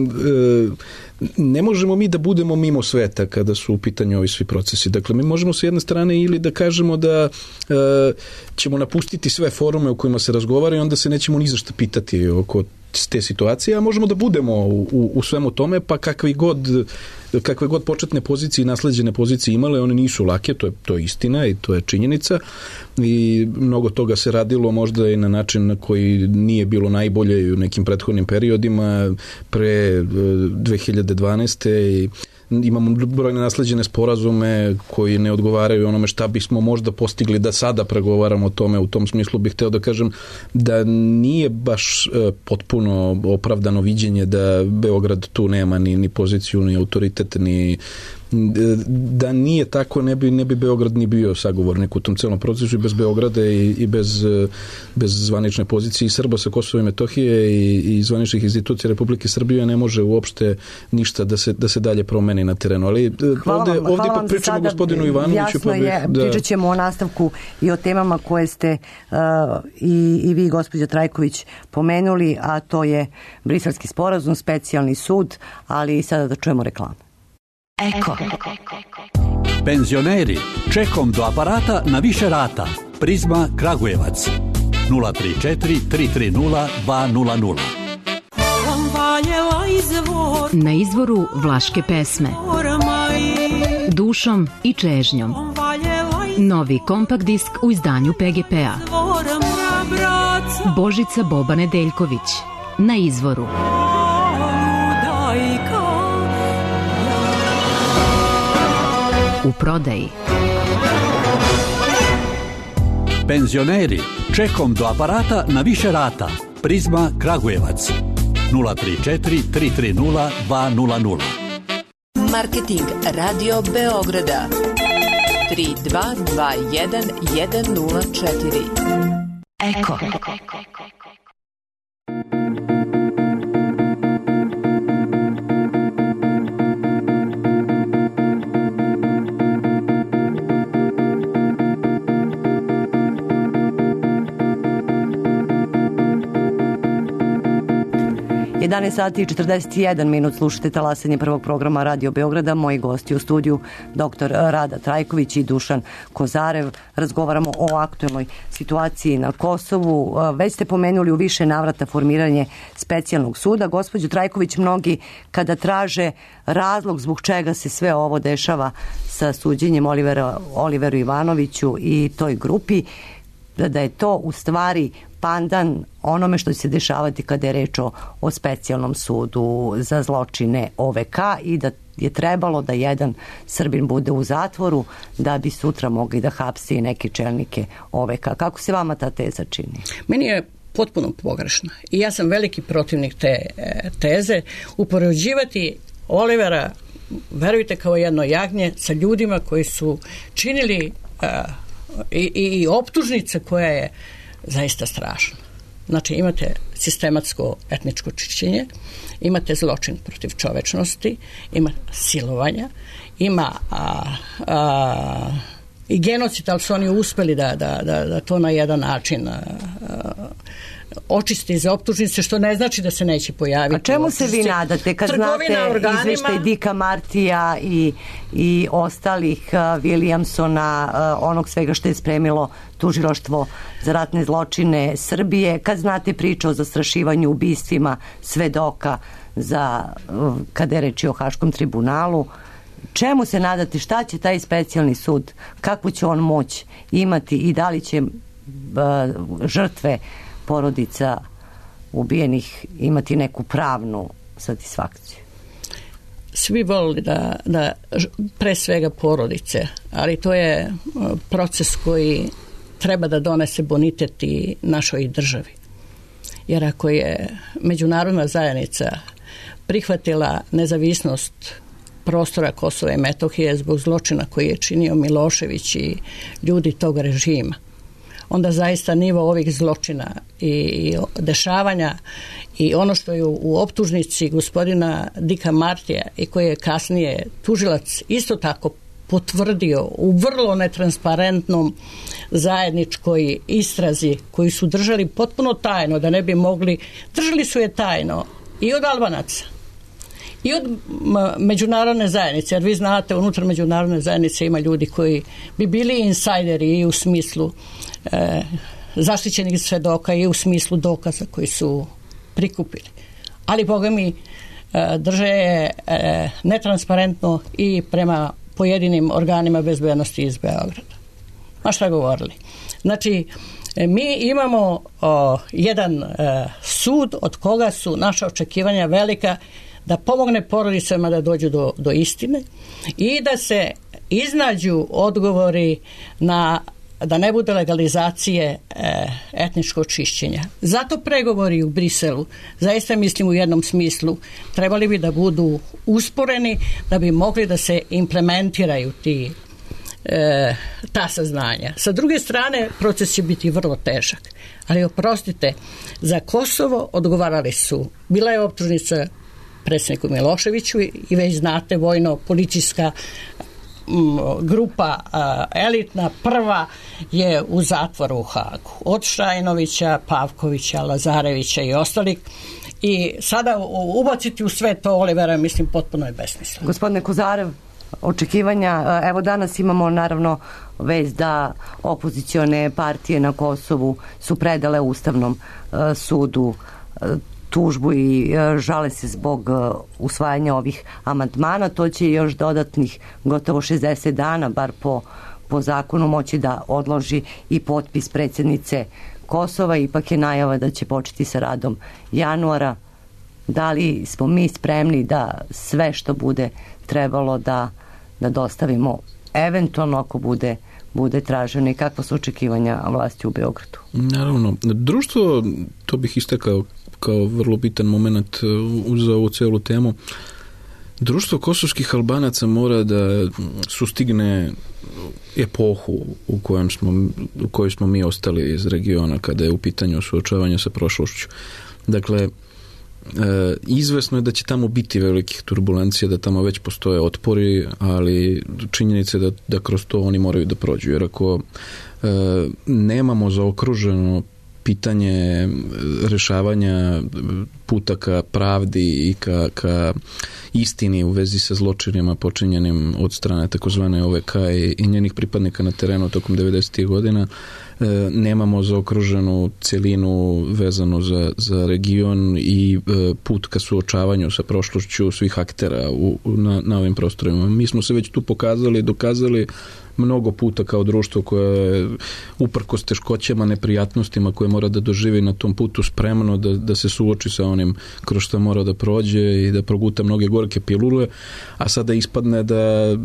ne možemo mi da budemo mimo sveta kada su u pitanju ovi svi procesi. Dakle, mi možemo s jedne strane ili da kažemo da ćemo napustiti sve forume u kojima se razgovara i onda se nećemo ni za šta pitati oko te situacije, a možemo da budemo u svemu tome, pa kakve god početne pozicije i nasleđene pozicije imale, one nisu lake, to je istina i to je činjenica i mnogo toga se radilo možda i na način na koji nije bilo najbolje i u nekim prethodnim periodima pre 2012. i imamo brojne nasleđene sporazume koji ne odgovaraju onome šta bismo možda postigli da sada pregovaramo o tome. U tom smislu bih hteo da kažem da nije baš potpuno opravdano viđenje da Beograd tu nema ni poziciju, ni autoritet, ni da nije tako ne bi Beograd ni bio sagovornik u tom celom procesu i bez Beograda i bez zvanične pozicije i Srba sa Kosova i Metohije i zvaničnih institucija Republike Srbije ne može uopšte ništa da se dalje promeni na terenu. Ali ovdje ipak pričamo gospodinu Ivanoviću. Jasno je, pričat ćemo o nastavku i o temama koje ste i vi, gospođa Trajković, pomenuli, a to je Briselski sporazum, specijalni sud, ali i sada da čujemo reklamu. Eko. Penzioneri, čekom do aparata na više rata. Prizma Kragujevac 034 330 200. Na izvoru vlaške pesme Dušom i čežnjom. Novi kompakt disk u izdanju PGP-a. Božica Boba Nedeljković. Na izvoru. U prodaji. Penzioneri, čekom do aparata na više rata. Prizma Kragujevac 034 330 200. Marketing Radio Beograda 3221 104. Eko. Sati i 41 minut, slušate talasanje prvog programa Radio Beograda. Moji gosti u studiju, dr. Rada Trajković i Dušan Kozarev. Razgovaramo o aktuelnoj situaciji na Kosovu. Već ste pomenuli u više navrata formiranje specijalnog suda. Gospođo Trajković, mnogi kada traže razlog zbog čega se sve ovo dešava sa suđenjem Oliveru Ivanoviću i toj grupi, da je to u stvari pandan onome što će se dešavati kada je reč o specijalnom sudu za zločine OVK i da je trebalo da jedan Srbin bude u zatvoru da bi sutra mogli da hapsi neke čelnike OVK. Kako se vama ta teza čini? Meni je potpuno pogrešna i ja sam veliki protivnik te teze. Upoređivati Olivera, verujte, kao jedno jagnje sa ljudima koji su činili i optužnica koja je zaista strašna. Znači, imate sistematsko etničko čišćenje, imate zločin protiv čovečnosti, ima silovanja, ima i genocid, ali su oni uspeli da to na jedan način očisti za optužnice, što ne znači da se neće pojaviti. A čemu se vi nadate kad znate izveštaj Dika Martija i ostalih Williamsona, onog svega što je spremilo tužilaštvo za ratne zločine Srbije, kad znate priču o zastrašivanju, ubistvima svedoka kada je reč o Haškom tribunalu, čemu se nadate, šta će taj specijalni sud, kakvu će on moć imati i da li će žrtve porodica ubijenih imati neku pravnu satisfakciju? Svi volili da pre svega porodice, ali to je proces koji treba da donese bonitet i našoj državi. Jer ako je međunarodna zajednica prihvatila nezavisnost prostora Kosova i Metohije zbog zločina koji je činio Milošević i ljudi tog režima, onda zaista nivo ovih zločina i dešavanja i ono što je u optužnici gospodina Dika Martija i koji je kasnije tužilac isto tako potvrdio u vrlo netransparentnom zajedničkoj istrazi koju su držali potpuno tajno, da ne bi mogli, držali su je tajno i od Albanaca i od međunarodne zajednice, jer vi znate, unutar međunarodne zajednice ima ljudi koji bi bili insajderi i u smislu zaštićenih svedoka i u smislu dokaza koji su prikupili. Ali, boga mi, drže je netransparentno i prema pojedinim organima bezbednosti iz Beograda. Ma šta govorili? Znači, mi imamo jedan sud od koga su naša očekivanja velika da pomogne porodicama da dođu do istine i da se iznađu odgovori da ne bude legalizacije etničkog čišćenja. Zato pregovori u Briselu, zaista mislim u jednom smislu, trebali bi da budu usporeni da bi mogli da se implementiraju ta saznanja. Sa druge strane, proces će biti vrlo težak. Ali oprostite, za Kosovo odgovarali su, bila je optužnica predsjedniku Miloševiću i već znate, vojno-policijska grupa elitna prva je u zatvoru u Hagu. Od Šajnovića, Pavkovića, Lazarevića i ostalih. I sada ubaciti u sve to Olivera, mislim, potpuno je besmisleno. Gospodine Kozarev, očekivanja, evo danas imamo naravno već da opozicione partije na Kosovu su predale Ustavnom sudu tužbu i žale se zbog usvajanja ovih amandmana. To će još dodatnih gotovo 60 dana, bar po zakonu, moći da odloži i potpis predsjednice Kosova. Ipak je najava da će početi sa radom januara. Da li smo mi spremni da sve što bude trebalo da dostavimo, eventualno ako bude traženo, i kakva su očekivanja vlasti u Beogradu? Naravno, društvo, to bih istakao kao vrlo bitan moment za ovu celu temu. Društvo kosovskih Albanaca mora da sustigne epohu u kojoj smo mi ostali iz regiona kada je u pitanju suočavanje sa prošlošću. Dakle, izvesno je da će tamo biti velikih turbulencija, da tamo već postoje otpori, ali činjenica je da kroz to oni moraju da prođu. Jer ako nemamo zaokruženo pitanje rešavanja puta ka pravdi i ka istini u vezi sa zločinima počinjenim od strane takozvane OVK i njenih pripadnika na terenu tokom 90. godina, nemamo zaokruženu celinu vezanu za region i put ka suočavanju sa prošlošću svih aktera na ovim prostorima. Mi smo se već tu pokazali, dokazali mnogo puta kao društvo koje je uprkos teškoćama, neprijatnostima koje mora da doživi na tom putu spremno da se suoči sa onim kroz što mora da prođe i da proguta mnoge gorke pilule, a sada ispadne da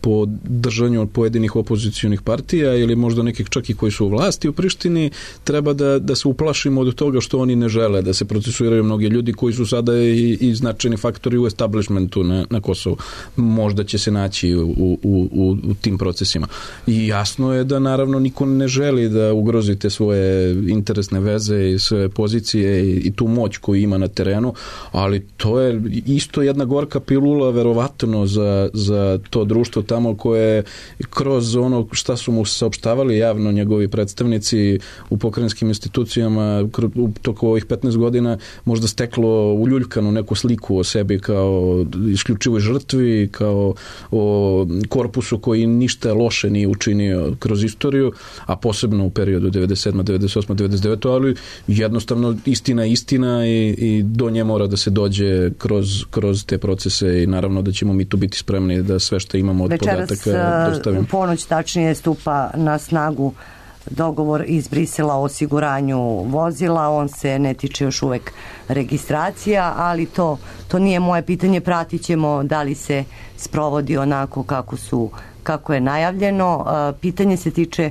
po držanju od pojedinih opozicionih partija ili možda nekih čak i koji su u vlasti u Prištini treba da se uplašimo od toga što oni ne žele, da se procesuiraju mnogi ljudi koji su sada i značajni faktori u establishmentu na Kosovu. Možda će se naći u tim procesima. I jasno je da naravno niko ne želi da ugrozi te svoje interesne veze i svoje pozicije i tu moć koju ima na terenu, ali to je isto jedna gorka pilula verovatno za to društvo tamo koje kroz ono šta su mu saopštavali javno njegovi predstavnici u pokrajinskim institucijama u toku ovih 15 godina možda steklo uljuljkanu neku sliku o sebi kao isključivoj žrtvi, kao o korpusu koji ništa loše nije učinio kroz istoriju, a posebno u periodu 97, 98, 99, ali jednostavno istina i do nje mora da se dođe kroz te procese i naravno da ćemo mi tu biti spremni da sve što imamo od podataka dostavimo. Večeras u ponoć tačnije stupa na snagu dogovor iz Brisela o osiguranju vozila, on se ne tiče još uvek registracija, ali to nije moje pitanje, pratit ćemo da li se sprovodi onako kako je najavljeno. Pitanje se tiče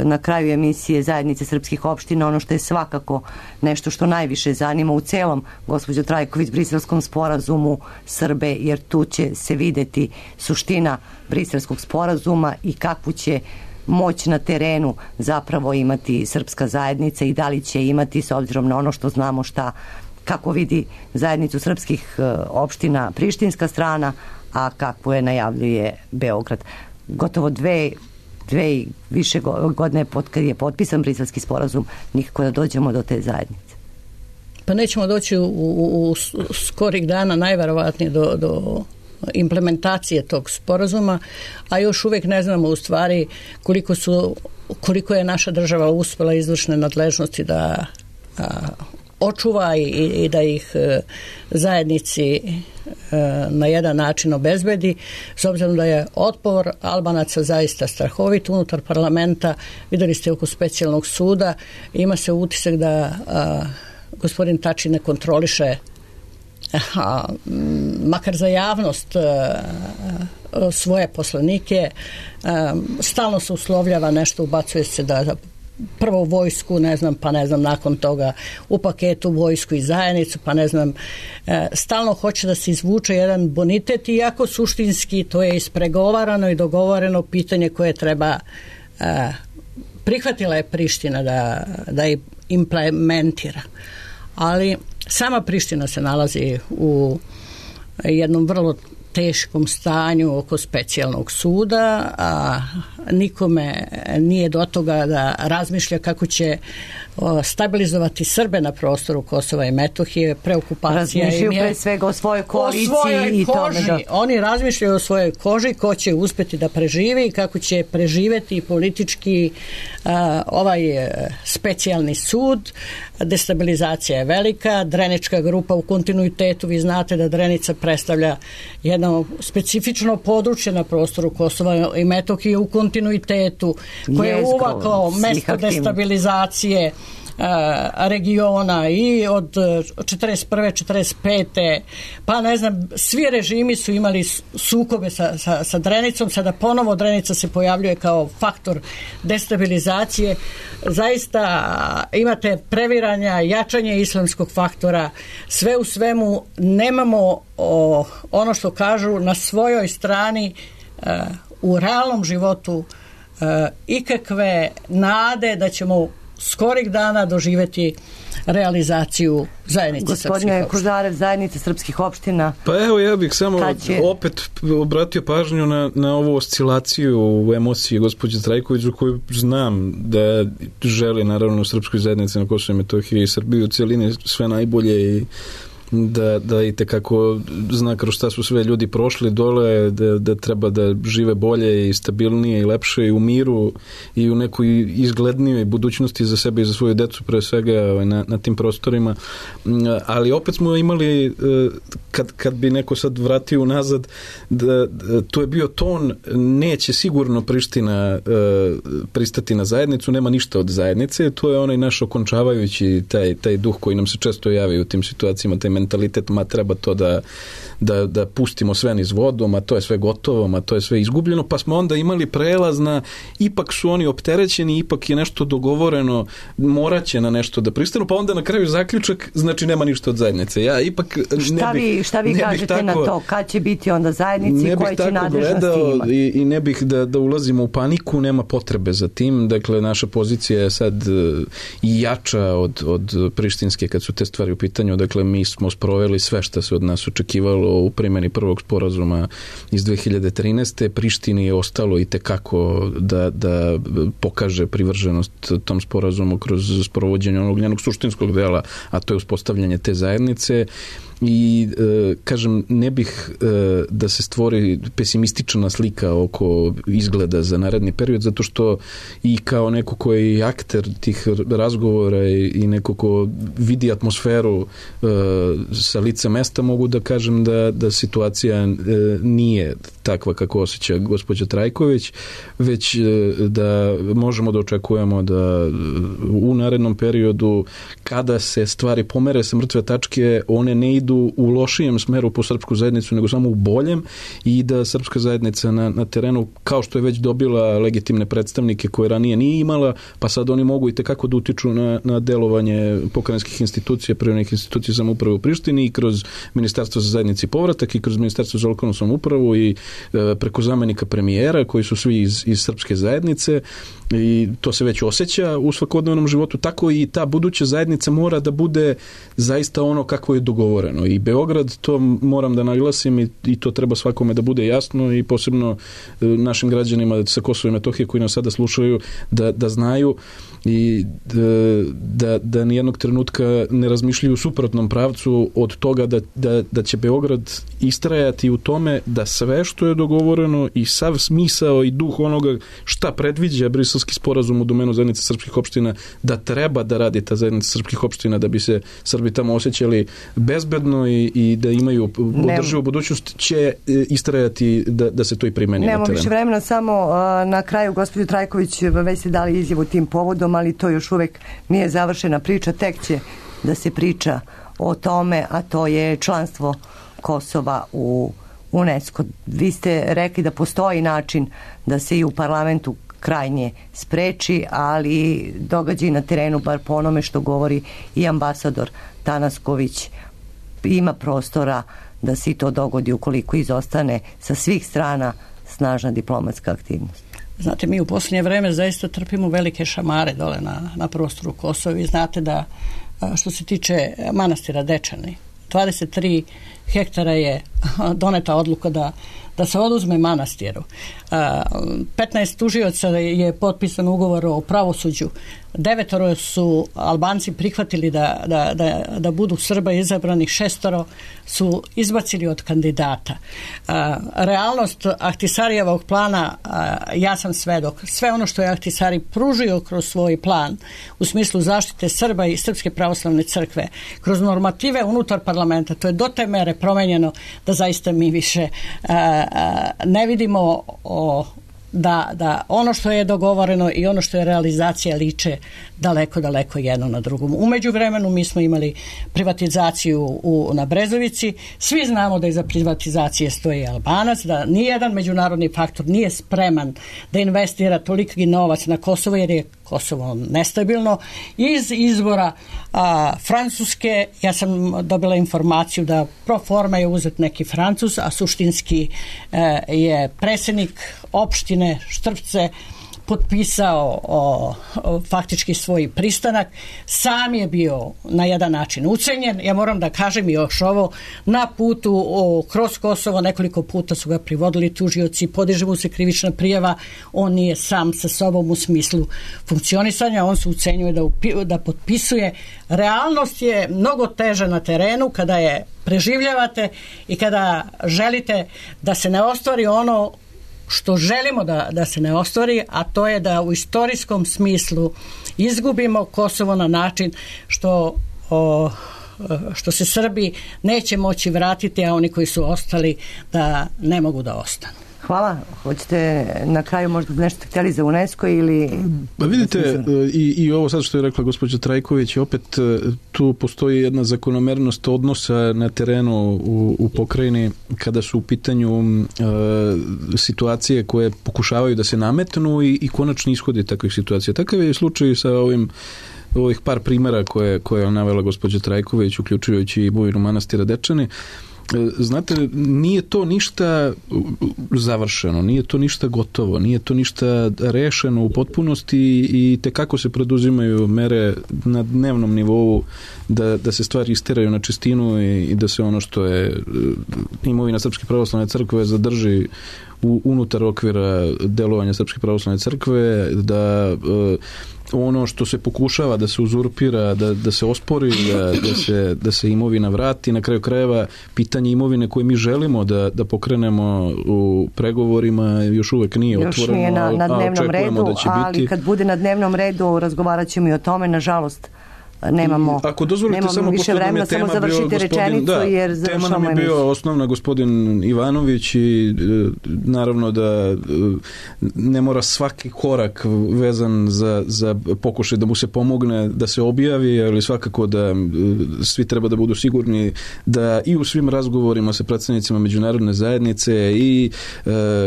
na kraju emisije Zajednice srpskih opština, ono što je svakako nešto što najviše zanima u celom, gospođo Trajković, briselskom sporazumu Srbe, jer tu će se videti suština briselskog sporazuma i kakvu će moć na terenu zapravo imati srpska zajednica i da li će imati, s obzirom na ono što znamo kako vidi zajednicu srpskih opština prištinska strana, a kako je najavljuje Beograd. Gotovo dve i više godine kad je potpisan briselski sporazum, nikako da dođemo do te zajednice. Pa nećemo doći u skorih dana najverovatnije do implementacije tog sporazuma, a još uvijek ne znamo u stvari koliko je naša država uspela izvršne nadležnosti da očuva i da ih zajednici na jedan način obezbedi, s obzirom da je otpor Albanaca zaista strahovit unutar parlamenta. Videli ste oko specijalnog suda, ima se utisak da gospodin Tači ne kontroliše makar za javnost svoje poslanike, stalno se uslovljava nešto, ubacuje se da prvo vojsku, pa nakon toga u paketu vojsku i zajednicu, stalno hoće da se izvuče jedan bonitet, iako suštinski to je ispregovarano i dogovoreno pitanje koje treba, prihvatila je Priština da implementira. Ali sama Priština se nalazi u jednom vrlo teškom stanju oko specijalnog suda, a nikome nije do toga da razmišlja kako će stabilizovati Srbe na prostoru Kosova i Metohije. Preokupacija razmišljaju pre svega o svojoj koaliciji i tome. Oni razmišljaju o svojoj koži, ko će uspjeti da preživi i kako će preživeti politički ovaj specijalni sud. Destabilizacija je velika, Drenička grupa u kontinuitetu, vi znate da Drenica predstavlja jedno specifično područje na prostoru Kosova i Metohije u kontinuitetu, koje je uvaklo mesto destabilizacije regiona i od 41. 45. pa svi režimi su imali sukobe sa Drenicom, sada ponovo Drenica se pojavljuje kao faktor destabilizacije. Zaista imate previranja, jačanje islamskog faktora, sve u svemu nemamo ono što kažu na svojoj strani u realnom životu ikakve nade da ćemo skorih dana doživjeti realizaciju zajednice srpskih opština. Gospodine Kožarev, zajednice srpskih opština. Pa evo, ja bih samo opet obratio pažnju na ovu oscilaciju u emociji gospođe Trajković, u koju znam da želi naravno u srpskoj zajednici na Kosovo i Metohiji i Srbiju u cijelini sve najbolje i da i tekako zna kroz šta su sve ljudi prošli dole, da treba da žive bolje i stabilnije i lepše i u miru i u nekoj izglednijoj budućnosti za sebe i za svoju decu pre svega na tim prostorima, ali opet smo imali kad bi neko sad vratio nazad, to je bio ton, neće sigurno Priština pristati na zajednicu, nema ništa od zajednice, to je onaj naš okončavajući taj duh koji nam se često javi u tim situacijama, taj mentalitet, treba to da pustimo sve niz vodom, a to je sve gotovo, a to je sve izgubljeno, pa smo onda imali prelaz na, ipak su oni opterećeni, ipak je nešto dogovoreno, morat će na nešto da pristanu, pa onda na kraju zaključak, znači nema ništa od zajednice. Ja ipak šta vi kažete na to? Kad će biti onda zajednici, koje će nadležnosti imati? I ne bih da ulazimo u paniku, nema potrebe za tim, dakle naša pozicija je sad i jača od prištinske kad su te stvari u pitanju, dakle mi smo sproveli sve što se od nas očekivalo u primjeni prvog sporazuma iz 2013. Prištini je ostalo i tekako da pokaže privrženost tom sporazumu kroz sprovođenje onog njenog suštinskog dela, a to je uspostavljanje te zajednice. I kažem, ne bih da se stvori pesimistična slika oko izgleda za naredni period, zato što i kao neko koji je akter tih razgovora i neko ko vidi atmosferu sa lica mesta, mogu da kažem da situacija nije takva kako osjeća gospođa Trajković, već da možemo da očekujemo da u narednom periodu, kada se stvari pomere sa mrtve tačke, one ne idu u lošijem smeru po srpsku zajednicu, nego samo u boljem, i da srpska zajednica na terenu, kao što je već dobila legitimne predstavnike koje ranije nije imala, pa sad oni mogu i tekako da utiču na delovanje pokrajinskih institucija, privremenih institucija samouprave u Prištini, i kroz Ministarstvo za zajednici i povratak, i kroz Ministarstvo za lokalnu samoupravu, i preko zamenika premijera, koji su svi iz srpske zajednice, i to se već osjeća u svakodnevnom životu. Tako i ta buduća zajednica mora da bude zaista ono kako je dogovoreno. I Beograd, to moram da naglasim, i to treba svakome da bude jasno, i posebno našim građanima sa Kosova i Metohije koji nas sada slušaju, da znaju i da nijednog trenutka ne razmišljaju u suprotnom pravcu od toga da će Beograd istrajati u tome da sve što je dogovoreno i sav smisao i duh onoga šta predviđa Briselski sporazum u domenu zajednice srpskih opština, da treba da radi ta zajednica srpskih opština da bi se Srbi tamo osjećali bezbedno i da imaju održivu budućnost, će istrajati da se to i primeni na terenu. Nemo više vremena, samo na kraju gospođo Trajković, već ste dali izjavu tim povodom, ali to još uvek nije završena priča, tek će da se priča o tome, a to je članstvo Kosova u UNESCO. Vi ste rekli da postoji način da se i u parlamentu krajnje spreči, ali događaj na terenu, bar po onome što govori i ambasador Tanasković, ima prostora da se i to dogodi ukoliko izostane sa svih strana snažna diplomatska aktivnost. Znate, mi u posljednje vreme zaista trpimo velike šamare dole na prostoru Kosova. Vi znate da što se tiče manastira Dečani, 23 hektara je doneta odluka da se oduzme manastiru. 15 tužioca je potpisan ugovor o pravosuđu. 9 su Albanci prihvatili da budu Srba izabrani, 6 su izbacili od kandidata. Realnost Ahtisarijevog plana, ja sam svedok. Sve ono što je Ahtisari pružio kroz svoj plan u smislu zaštite Srba i Srpske pravoslavne crkve, kroz normative unutar parlamenta, to je do te mere promenjeno da zaista mi više ne vidimo da ono što je dogovoreno i ono što je realizacija liče daleko jedno na drugom. U međuvremenu mi smo imali privatizaciju na Brezovici. Svi znamo da iza privatizacije stoji Albanac, da nijedan međunarodni faktor nije spreman da investira toliki novac na Kosovo, jer je Kosovo nestabilno. Iz izbora Francuske, ja sam dobila informaciju da pro forma je uzet neki Francuz, a suštinski je predsjednik opštine Štrpce potpisao faktički svoj pristanak. Sam je bio na jedan način ucenjen. Ja moram da kažem još ovo, na putu kroz Kosovo nekoliko puta su ga privodili tužioci, podiže mu se krivična prijava, on nije sam sa sobom u smislu funkcionisanja, on se ucenjuje da potpisuje. Realnost je mnogo teža na terenu kada je preživljavate i kada želite da se ne ostvari ono što želimo da se ne ostvari, a to je da u istorijskom smislu izgubimo Kosovo na način što se Srbi neće moći vratiti, a oni koji su ostali da ne mogu da ostanu. Hvala. Hoćete na kraju možda nešto htjeli za UNESCO ili... Pa vidite, i ovo sad što je rekla gospođa Trajković, opet tu postoji jedna zakonomernost odnosa na terenu u pokrajini kada su u pitanju situacije koje pokušavaju da se nametnu i konačni ishodi takvih situacija. Takav je slučaj sa ovih par primjera koje je navela gospođa Trajković, uključujući i Bujinu manastira Dečani. Znate, nije to ništa završeno, nije to ništa gotovo, nije to ništa rešeno u potpunosti i tekako se preduzimaju mere na dnevnom nivou da se stvari isteraju na čistinu i da se ono što je imovina Srpske pravoslavne crkve zadrži unutar okvira delovanja Srpske pravoslavne crkve, da ono što se pokušava da se uzurpira, da se ospori, da se imovina vrati. Na kraju krajeva pitanje imovine koje mi želimo da pokrenemo u pregovorima još uvek nije otvoreno, nije na dnevnom redu, da će ali biti. Kad bude na dnevnom redu razgovarat ćemo i o tome. Nažalost, nemamo, ako dozvolite, samo više vremena, samo završite rečenicu, jer tema nam je bio osnovna gospodin Ivanović i naravno da ne mora svaki korak vezan za pokušaj da mu se pomogne da se objavi, ali svakako da svi treba da budu sigurni da i u svim razgovorima sa predstavnicima međunarodne zajednice i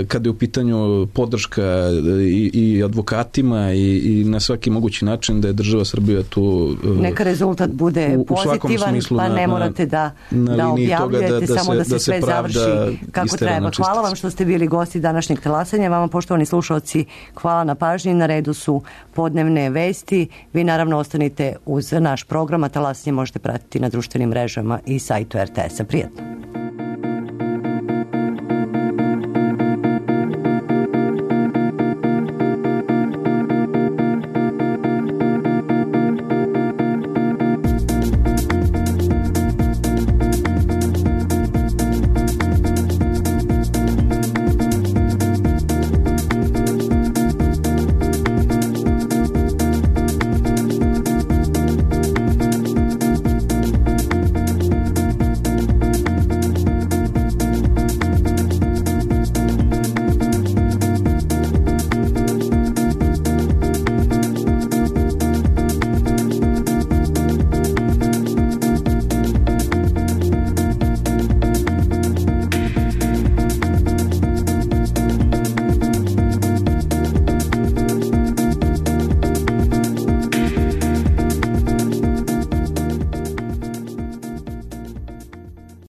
kada je u pitanju podrška i advokatima i na svaki mogući način da je država Srbija tu neka rezultat bude pozitivan, smislu, pa ne morate da objavljujete, samo da se sve završi kako treba. Hvala vam što ste bili gosti današnjeg talasanja. Vama, poštovani slušalci, hvala na pažnji. Na redu su podnevne vesti. Vi naravno ostanite uz naš program, a talasanje možete pratiti na društvenim mrežama i sajtu RTS-a. Prijatno.